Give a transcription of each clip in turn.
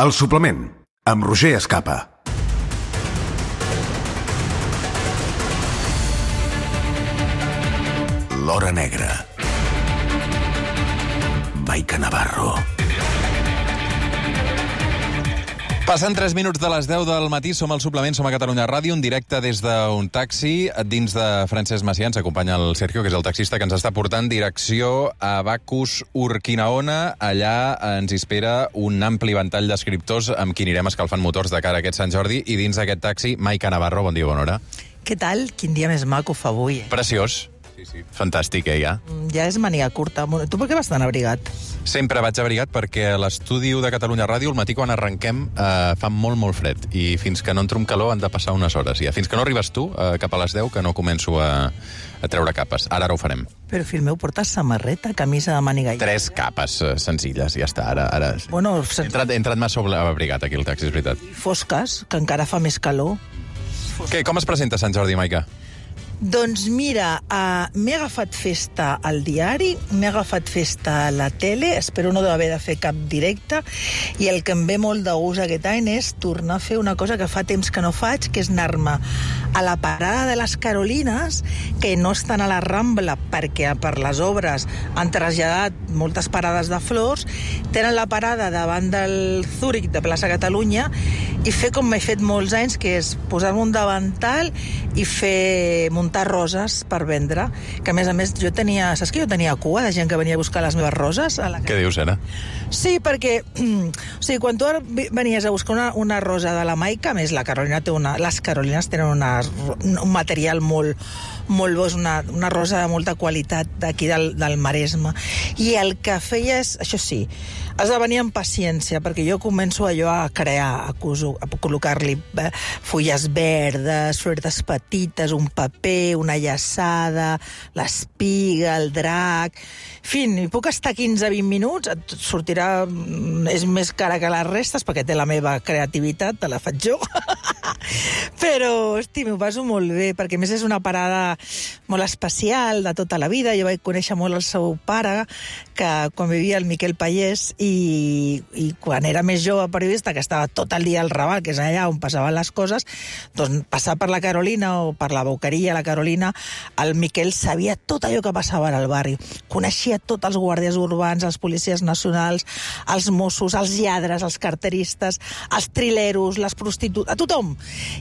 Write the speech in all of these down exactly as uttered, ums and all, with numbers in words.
El suplement, amb Roger Escapa. L'Hora Negra. Maica Navarro. Passen tres minuts de les deu del matí, som al suplement, som a Catalunya Ràdio, en directe des d'un taxi. Dins de Francesc Macià ens acompanya el Sergio, que és el taxista que ens està portant direcció a Bacus Urquinaona. Allà ens espera un ampli ventall d'escriptors amb qui anirem escalfant motors de cara a aquest Sant Jordi. I dins d'aquest taxi, Maica Navarro, bon dia, bona hora. Què tal? Quin dia més maco fa avui. Preciós. Sí, sí. Fantàstic, eh, ja? Ja és màniga curta. Tu per què vas tan abrigat? Sempre vaig abrigat perquè a l'estudi de Catalunya Ràdio al matí quan arrenquem eh, fa molt, molt fred. I fins que no entro en calor han de passar unes hores. Ja. Fins que no arribes tu, eh, cap a les deu, que no començo a, a treure capes. Ara, ara ho farem. Però, fill meu, portes samarreta, camisa de màniga... Tres capes eh, senzilles, ja està. Ara, ara... Bueno, he, entrat, he entrat massa abrigat aquí al taxi, és veritat. Fosques, que encara fa més calor. Què, com es presenta Sant Jordi, Maica? Doncs mira, uh, m'he agafat festa al diari, m'he agafat festa a la tele, espero no haver de fer cap directe, i el que em ve molt de gust aquest any és tornar a fer una cosa que fa temps que no faig, que és anar-me a la parada de les Carolines, que no estan a la Rambla perquè per les obres han traslladat moltes parades de flors, tenen la parada davant del Zúrich de Plaça Catalunya, i fer com m'he fet molts anys, que és posar-me un davantal i fer muntar roses per vendre, que a més a més jo tenia, saps que jo tenia cua de gent que venia a buscar les meves roses? A la... Què dius, ara? Sí, perquè o sigui, quan tu venies a buscar una, una rosa de la Maica, a més la Carolina té una, les Carolines tenen una, un material molt, molt bo, és una, una rosa de molta qualitat d'aquí del, del Maresme, i el que feia és, això sí, has de venir amb paciència, perquè jo començo allò a crear, a, a col·locar-li fulles verdes, floretes petites, un paper, una llaçada, l'espiga, el drac... En fi, hi puc estar quinze a vint minuts, et sortirà... És més cara que les restes, perquè té la meva creativitat, te la faig jo. Però, hosti, m'ho passo molt bé, perquè a més és una parada molt especial de tota la vida. Jo vaig conèixer molt el seu pare, que quan vivia el Miquel Pallés, i, i quan era més jove periodista, que estava tot el dia al Raval, que és allà on passaven les coses, doncs passar per la Carolina o per la Boqueria, la Carolina, el Miquel sabia tot allò que passava al barri. Coneixia tots els guàrdies urbans, els policies nacionals, els Mossos, els lladres, els carteristes, els trileros, les prostitutes, a tothom.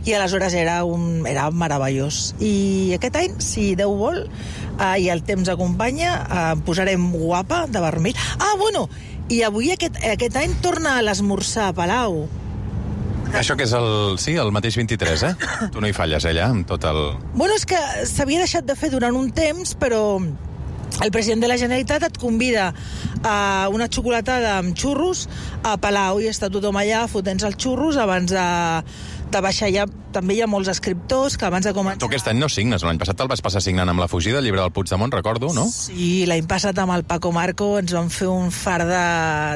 I aleshores era, un, era meravellós. I aquest any, si Déu vol, eh, i el temps acompanya, eh, posarem guapa de vermell. Ah, bueno, i avui aquest, aquest any torna a l'esmorzar a Palau. Això que és el... Sí, el mateix vint-i-tres, eh? Tu no hi falles, allà, amb tot el... Bueno, és que s'havia deixat de fer durant un temps, però el president de la Generalitat et convida a una xocolatada amb xurros a Palau, i està tothom allà fotent-se els xurros abans de, de baixar. Ja, també hi ha molts escriptors que abans de començar... Tu aquest any no signes, l'any passat el vas passar signant amb La fugida, el llibre del Puigdemont, recordo, no? Sí, l'any passat amb el Paco Marco ens vam fer un far de,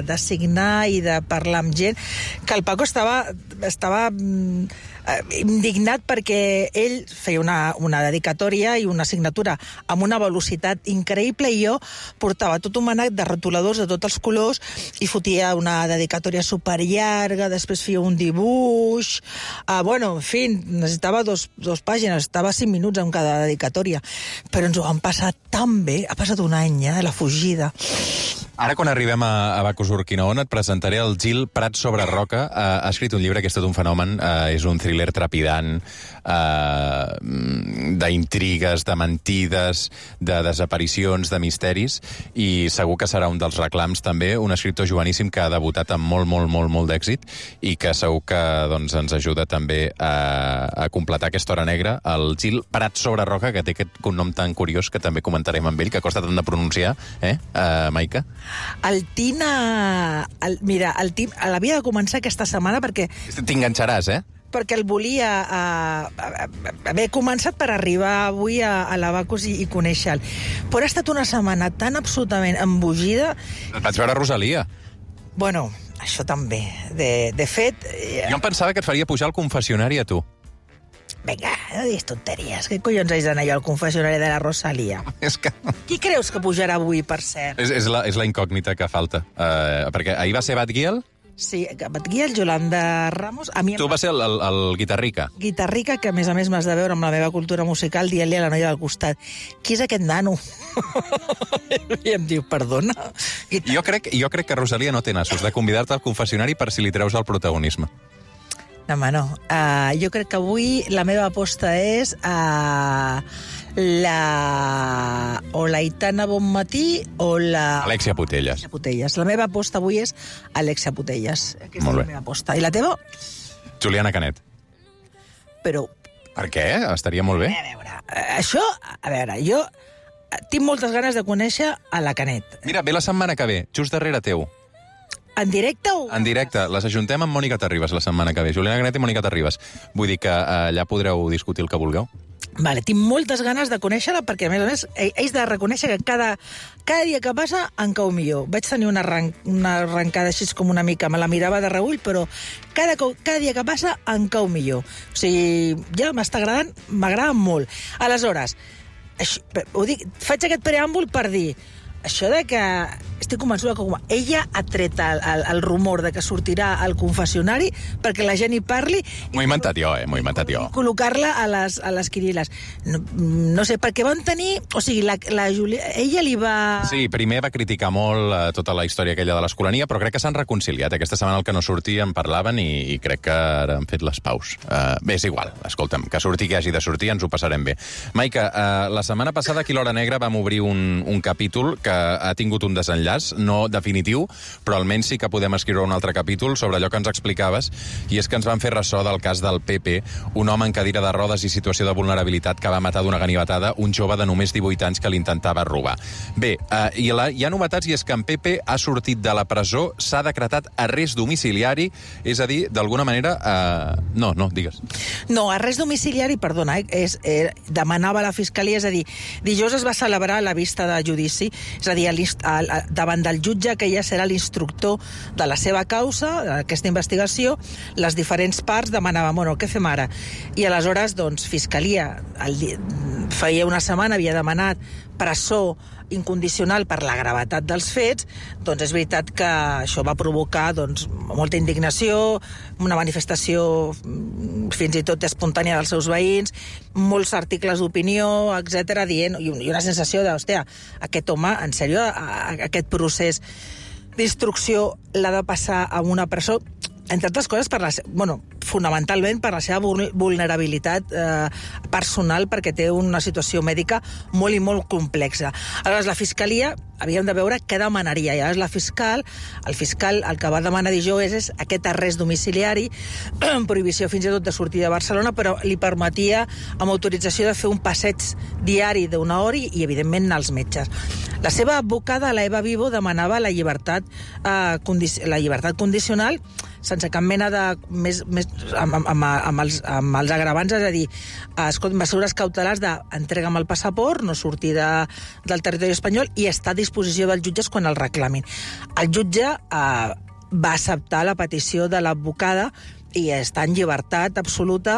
de signar i de parlar amb gent, que el Paco estava... estava indignat perquè ell feia una, una dedicatòria i una signatura amb una velocitat increïble, i jo portava tot un manac de rotuladors de tots els colors i fotia una dedicatòria superllarga, després feia un dibuix, uh, bueno, en fi, necessitava dos, dos pàgines, estava cinc minuts en cada dedicatòria, però ens ho vam passar tan bé, ha passat un any ja, de La fugida. Ara, quan arribem a, a Bacus Urquinaona, et presentaré el Gil Prat sobre Roca. Uh, ha escrit un llibre que és tot un fenomen, uh, és un thriller trepidant, uh, d'intrigues, de mentides, de desaparicions, de misteris, i segur que serà un dels reclams també, un escriptor joveníssim que ha debutat amb molt, molt, molt, molt d'èxit, i que segur que doncs, ens ajuda també a, a completar aquesta hora negra, el Gil Prat sobre Roca, que té aquest cognom tan curiós que també comentarem amb ell, que costa tant de pronunciar, eh, uh, Maica? El Tina... El, mira, el Tim l'havia de començar aquesta setmana perquè... T'enganxaràs, eh? perquè el volia uh, haver començat per arribar avui a, a la Bacus i, i conèixer-lo. Però ha estat una setmana tan absolutament embogida... Et vaig veure Rosalia. Bueno, això també. De, de fet... Eh... Jo em pensava que et faria pujar al confessionari a tu. Vinga, no diguis tonteries. Què collons haig d'anar jo al confessionari de la Rosalia? És que... Qui creus que pujarà avui, per cert? És, és, la, és la incògnita que falta. Uh, perquè ahir va ser Batgirl Sí, que et guia el Yolanda Ramos. A mi em Tu vas ser el, el, el guitarrica. guitarrica, que a més a més m'has de veure amb la meva cultura musical, dient-li a la noia del costat, qui és aquest nano? I em diu, perdona? Jo crec, jo crec que Rosalia no té nassos de convidar-te al confessionari per si li treus el protagonisme. No, home, no. Uh, jo crec que avui la meva aposta és uh, la... o la Aitana Bonmatí o la... Alexia Putelles. Alexia Putelles. La meva aposta avui és Alexia Putelles. Aquesta Molt és bé. la meva aposta. I la teva? Juliana Canet. Però, Per què? Estaria molt bé. a veure, eh, això, a veure, jo tinc moltes ganes de conèixer a la Canet. Mira, ve la setmana que ve, just darrere teu. En directe o...? En directe, les ajuntem amb Mònica Terribas la setmana que ve. Juliana Canet i Mònica Terribas. Vull dir que eh, allà podreu discutir el que vulgueu. Vale, tinc moltes ganes de conèixer-la perquè, a més a més, ells de reconèixer que cada, cada dia que passa en cau millor. Vaig tenir una, arran una arrencada així com una mica, me la mirava de reull, però cada, cada dia que passa en cau millor. O sigui, ja m'està agradant, m'agrada molt. Aleshores, això, ho dic, faig aquest preàmbul per dir això de que estic convençuda que com ella ha tret el, el, el rumor de que sortirà al confessionari perquè la gent hi parli. M'ho he inventat jo, eh? M'ho he inventat jo. I col·locar-la a les, a les quiniles. No, no sé, perquè van tenir... O sigui, la, la Julia, ella li va... Sí, primer va criticar molt eh, tota la història aquella de l'escolania, però crec que s'han reconciliat. Aquesta setmana el que no sortia en parlaven i, i crec que ara han fet les paus. Uh, bé, és igual, escolta'm, que surti que hagi de sortir, ens ho passarem bé. Maica, uh, la setmana passada aquí a l'Hora Negra vam obrir un, un capítol que ha tingut un desenllaç, no definitiu, però almenys sí que podem escriure un altre capítol sobre allò que ens explicaves, i és que ens van fer ressò del cas del Pepe, un home en cadira de rodes i situació de vulnerabilitat que va matar d'una ganivetada un jove de només divuit anys que l'intentava robar. Bé, eh, i la, hi ha novetats, i és que en Pepe ha sortit de la presó, s'ha decretat arrest domiciliari, és a dir, d'alguna manera... Eh... No, no, digues. No, arrest domiciliari, perdona, eh, és, eh, demanava la Fiscalia, és a dir, dijous es va celebrar la vista de judici, és a dir, al, davant del jutge que ja serà l'instructor de la seva causa, d'aquesta investigació, les diferents parts demanaven, bueno, què fem ara? I aleshores, doncs, Fiscalia, el, feia una setmana havia demanat presó incondicional per la gravetat dels fets, doncs és veritat que això va provocar doncs, molta indignació, una manifestació fins i tot espontània dels seus veïns, molts articles d'opinió, etcètera, dient, i una sensació de, hòstia, aquest home, en sèrio, aquest procés d'instrucció l'ha de passar a una presó, entre altres coses, per la, bueno, fonamentalment per la seva vulnerabilitat eh, personal, perquè té una situació mèdica molt i molt complexa. Aleshores, la Fiscalia, havíem de veure què demanaria. I llavors la fiscal, el fiscal el que va demanar dijous és, és aquest arrest domiciliari, prohibició fins i tot de sortir de Barcelona, però li permetia, amb autorització, de fer un passeig diari d'una hora i, i, evidentment, anar als metges. La seva advocada, la Eva Vivo, demanava la llibertat, eh, condici la llibertat condicional sense cap mena de... Més, més, amb, amb, amb, els, amb els agravants, és a dir, escolta, mesures cautelars d'entrega'm el passaport, no sortir de, del territori espanyol i estar a disposició dels jutges quan el reclamin. El jutge eh, va acceptar la petició de l'advocada i està en llibertat absoluta,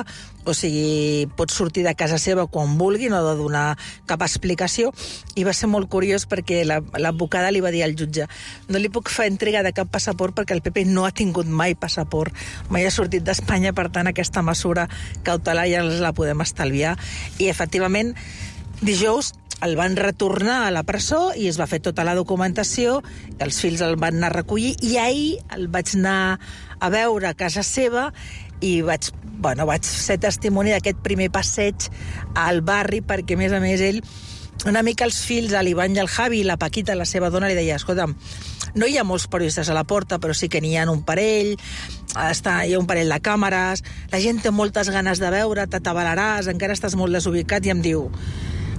o sigui, pot sortir de casa seva quan vulgui, no ha de donar cap explicació, i va ser molt curiós perquè l'advocada li va dir al jutge, no li puc fer entrega de cap passaport perquè el Pepe no ha tingut mai passaport, mai ha sortit d'Espanya, per tant aquesta mesura cautelar ja la podem estalviar, i efectivament dijous el van retornar a la presó i es va fer tota la documentació, els fills el van anar a recollir, i ahir el vaig anar a veure a casa seva i vaig, bueno, vaig ser testimoni d'aquest primer passeig al barri, perquè a més a més ell, una mica els fills, l'Ivan i el Javi, i la Paquita, la seva dona, li deia, escolta'm, no hi ha molts periodistes a la porta, però sí que n'hi ha un parell, està, hi ha un parell de càmeres, la gent té moltes ganes de veure, t'atabalaràs, encara estàs molt desubicat, i em diu,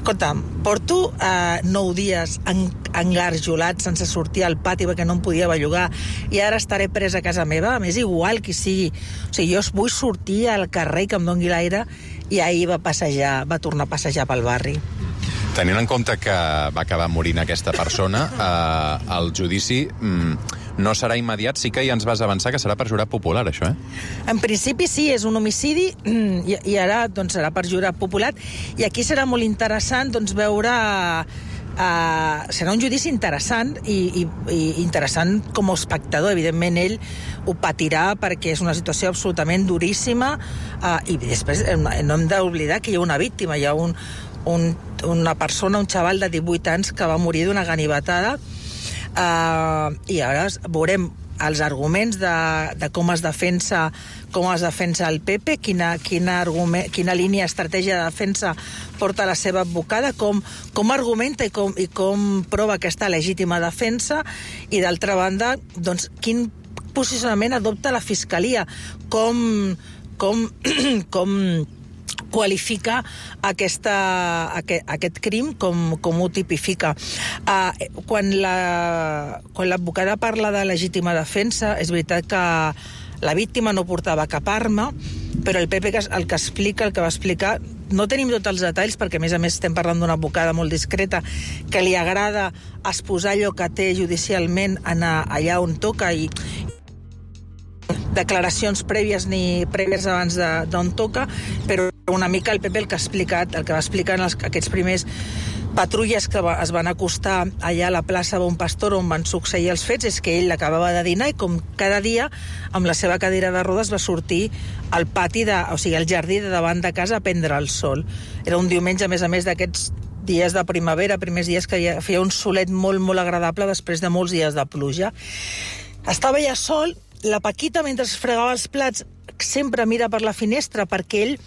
escolta'm, porto eh, nou dies en, engarjolat sense sortir al pati perquè no em podia bellugar i ara estaré presa a casa meva, m'és igual qui sigui. O sigui, jo vull sortir al carrer que em doni l'aire, i ahir va passejar, va tornar a passejar pel barri. Tenint en compte que va acabar morint aquesta persona, eh, el judici mm, no serà immediat, sí que ja ens vas avançar que serà per jurat popular, això, eh? En principi sí, és un homicidi, i, i ara doncs, serà per jurat popular, i aquí serà molt interessant doncs, veure Uh, serà un judici interessant i, i, i interessant com a espectador. Evidentment, ell ho patirà perquè és una situació absolutament duríssima uh, i després eh, no hem d'oblidar que hi ha una víctima, hi ha un, un, una persona, un xaval de divuit anys que va morir d'una ganivetada uh, i ara veurem els arguments de, de com es defensa com es defensa el P P, quina, quina, argument, quina línia, estratègia de defensa porta la seva advocada, com, com argumenta i com, i com prova aquesta legítima defensa, i d'altra banda, doncs, quin posicionament adopta la Fiscalia, com, com, com qualifica aquesta, aquest, aquest crim, com, com ho tipifica. Uh, quan la, quan l'advocada parla de legítima defensa, és veritat que la víctima no portava cap arma, però el P P el que explica, el que va explicar, no tenim tots els detalls, perquè a més a més estem parlant d'una advocada molt discreta, que li agrada exposar allò que té judicialment anar allà on toca, i declaracions prèvies ni prèvies abans d'on toca, però una mica el P P el que ha explicat, el que va explicar en els, aquests primers patrulles que va, es van acostar allà a la plaça Bon Pastor on van succeir els fets, és que ell acabava de dinar i com cada dia amb la seva cadira de rodes va sortir al pati, de, o sigui, al jardí de davant de casa a prendre el sol. Era un diumenge, a més a més, d'aquests dies de primavera, primers dies que feia un solet molt, molt agradable després de molts dies de pluja. Estava ja sol, la Paquita, mentre es fregava els plats, sempre mira per la finestra perquè ell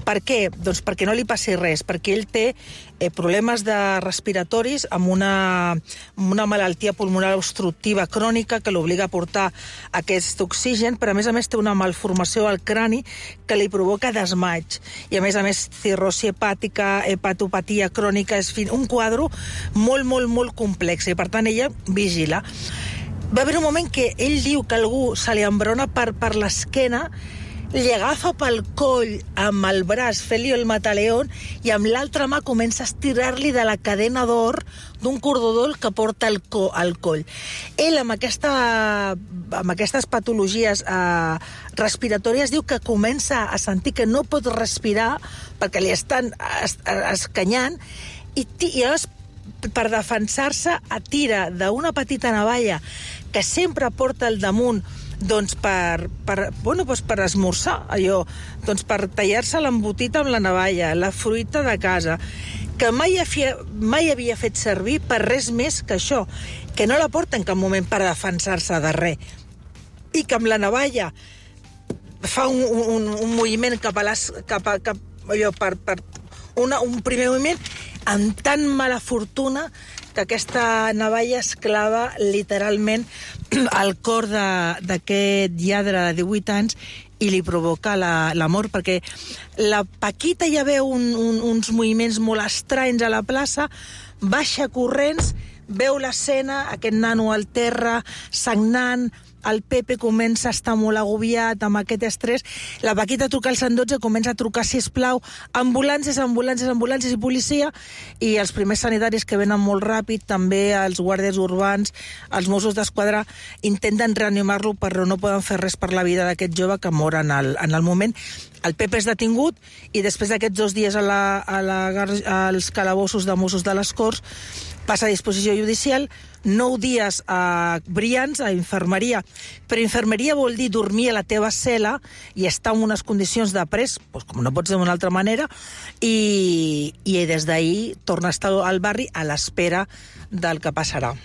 Per què? Doncs perquè no li passi res, perquè ell té eh, problemes de respiratoris amb una, amb una malaltia pulmonar obstructiva crònica que l'obliga a portar aquest oxigen, però a més a més té una malformació al crani que li provoca desmaig. I a més a més cirrosi hepàtica, hepatopatia crònica, és un quadre molt, molt, molt complex i per tant ella vigila. Va haver un moment que ell diu que algú se li embrona per, per l'esquena, li agafa pel coll amb el braç, fent-li el mataleón, i amb l'altra mà comença a estirar-li de la cadena d'or d'un cordó d'or que porta al, co al coll. Ell, amb, aquesta, amb aquestes patologies eh, respiratòries, diu que comença a sentir que no pot respirar perquè li estan es escanyant, i, i llavors, per defensar-se, atira d'una petita navalla que sempre porta al damunt, doncs per, per, bueno, doncs per esmorzar, allò, doncs per tallar-se l'embotit amb la navalla, la fruita de casa, que mai havia, mai havia fet servir per res més que això, que no la porta en cap moment per defensar-se de res, i que amb la navalla fa un, un, un moviment cap a les, cap a, cap, allò, per, per una, un primer moviment amb tan mala fortuna que aquesta navalla es clava literalment al cor d'aquest lladre de divuit anys i li provoca la, la mort, perquè la Paquita ja veu un, un, uns moviments molt estranys a la plaça, baixa corrents, veu l'escena, aquest nano al terra, sagnant, el Pepe comença a estar molt agobiat amb aquest estrès, la Paquita truca al cent dotze, comença a trucar, sisplau, ambulàncies, ambulàncies, ambulàncies i policia, i els primers sanitaris que venen molt ràpid, també els guàrdies urbans, els Mossos d'Esquadra, intenten reanimar-lo, però no poden fer res per la vida d'aquest jove que mor en el, en el moment. El Pepe és detingut i després d'aquests dos dies a la, a la, als calabossos de Mossos de les Corts passa a disposició judicial, nou dies a brillants, a infermeria. Però infermeria vol dir dormir a la teva cel·la i estar en unes condicions de pres, doncs com no pot ser d'una altra manera, i, i des d'ahir torna a estar al barri a l'espera del que passarà.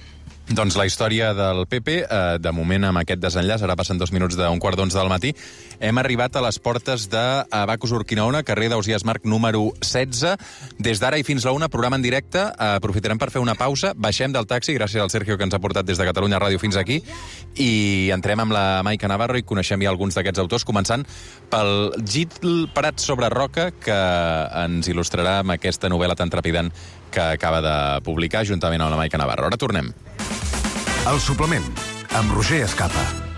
Doncs la història del Pepe, eh, de moment amb aquest desenllaç, ara passen dos minuts d'un quart d'onze del matí, hem arribat a les portes d'Abacus Urquinaona, carrer d'Ausiàs Marc número setze. Des d'ara i fins la una, programa en directe. Eh, aprofitarem per fer una pausa, baixem del taxi, gràcies al Sergio que ens ha portat des de Catalunya Ràdio fins aquí, i entrem amb la Maica Navarro i coneixem ja alguns d'aquests autors, començant pel Gil Prats sobre Roca, que ens il·lustrarà amb aquesta novel·la tan trepidant que acaba de publicar juntament amb la Maica Navarro. Ara tornem. El suplement, amb Roger Escapa.